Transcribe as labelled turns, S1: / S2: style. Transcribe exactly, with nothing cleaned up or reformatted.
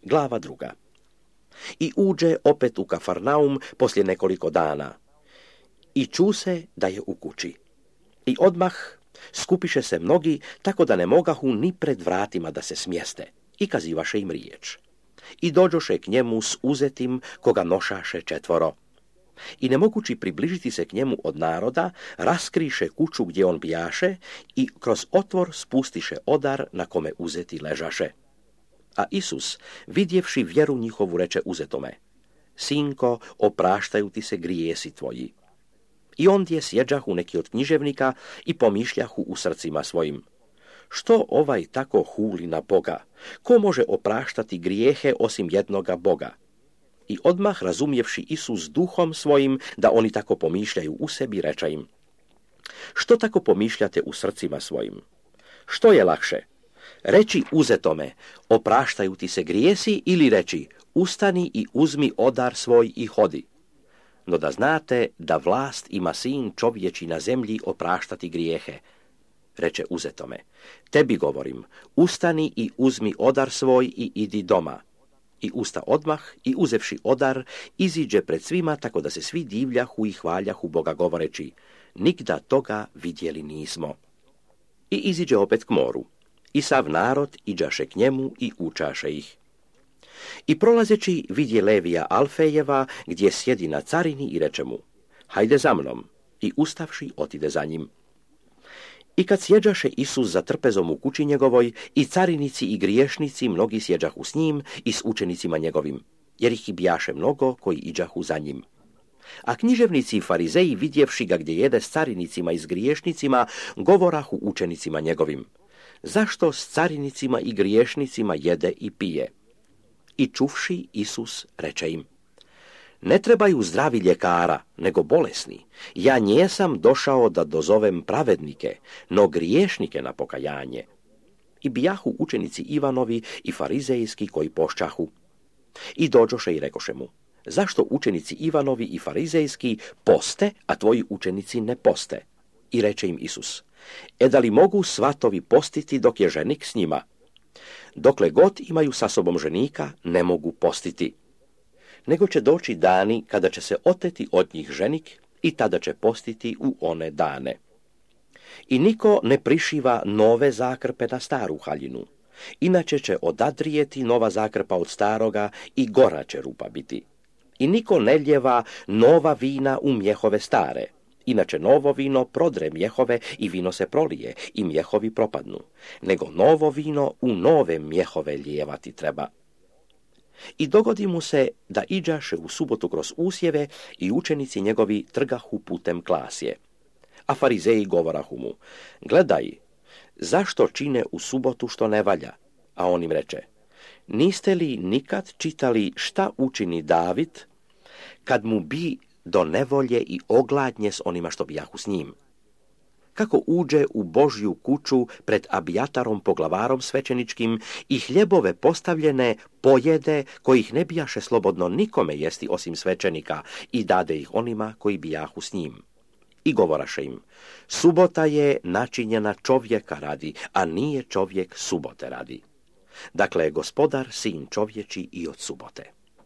S1: Glava druga. I uđe opet u Kafarnaum poslije nekoliko dana. I ču se da je u kući. I odmah skupiše se mnogi, tako da ne mogahu ni pred vratima da se smjeste. I kazivaše im riječ. I dođoše k njemu s uzetim, koga nošaše četvoro. I ne mogući približiti se k njemu od naroda, raskriše kuću gdje on bijaše i kroz otvor spustiše odar na kome uzeti ležaše. A Isus, vidjevši vjeru njihovu, reče uzetome: Sinko, opraštaju ti se grijesi tvoji. I ondje sjeđahu neki od književnika i pomišljahu u srcima svojim: Što ovaj tako huli na Boga? Ko može opraštati grijehe osim jednoga Boga? I odmah razumjevši Isus duhom svojim da oni tako pomišljaju u sebi, reče im: Što tako pomišljate u srcima svojim? Što je lakše? Reći uzetome: Opraštaju ti se grijesi, ili reći: Ustani i uzmi odar svoj i hodi? No da znate da vlast ima sin čovječi na zemlji opraštati grijehe. Reče uzetome: Tebi govorim, ustani i uzmi odar svoj i idi doma. I usta odmah i uzevši odar, iziđe pred svima, tako da se svi divljahu i hvaljahu Boga govoreći: Nigda toga vidjeli nismo. I iziđe opet k moru. I sav narod iđaše k njemu i učaše ih. I prolazeći vidje Levija Alfejeva, gdje sjedi na carini, i reče mu: Hajde za mnom. I ustavši otide za njim. I kad sjeđaše Isus za trpezom u kući njegovoj, i carinici i griješnici mnogi sjeđahu s njim i s učenicima njegovim, jer ih i bijaše mnogo koji iđahu za njim. A književnici i farizeji, vidjevši ga gdje jede s carinicima i s griješnicima, govorahu učenicima njegovim: Zašto s carinicima i griješnicima jede i pije? I čuvši, Isus reče im: Ne trebaju zdravi ljekara, nego bolesni. Ja njesam došao da dozovem pravednike, no griješnike na pokajanje. I bijahu učenici Ivanovi i farizejski koji pošćahu. I dođoše i rekoše mu: Zašto učenici Ivanovi i farizejski poste, a tvoji učenici ne poste? I reče im Isus: E da li mogu svatovi postiti dok je ženik s njima? Dokle god imaju sa sobom ženika, ne mogu postiti. Nego će doći dani kada će se oteti od njih ženik i tada će postiti u one dane. I niko ne prišiva nove zakrpe na staru haljinu, inače će odadrijeti nova zakrpa od staroga i gora će rupa biti. I niko ne ljeva nova vina u mjehove stare, inače novo vino prodre mjehove i vino se prolije i mjehovi propadnu, nego novo vino u nove mjehove lijevati treba. I dogodi mu se da iđaše u subotu kroz usjeve i učenici njegovi trgahu putem klasje. A farizeji govorahu mu: Gledaj, zašto čine u subotu što ne valja? A on im reče: Niste li nikad čitali šta učini David, kad mu bi do nevolje i ogladnje s onima što bijahu s njim? Kako uđe u Božju kuću pred Abijatarom poglavarom svećeničkim i hljebove postavljene pojede, kojih ne bijaše slobodno nikome jesti osim svećenika, i dade ih onima koji bijahu s njim. I govoraše im: Subota je načinjena čovjeka radi, a nije čovjek subote radi. Dakle, gospodar sin čovječi i od subote.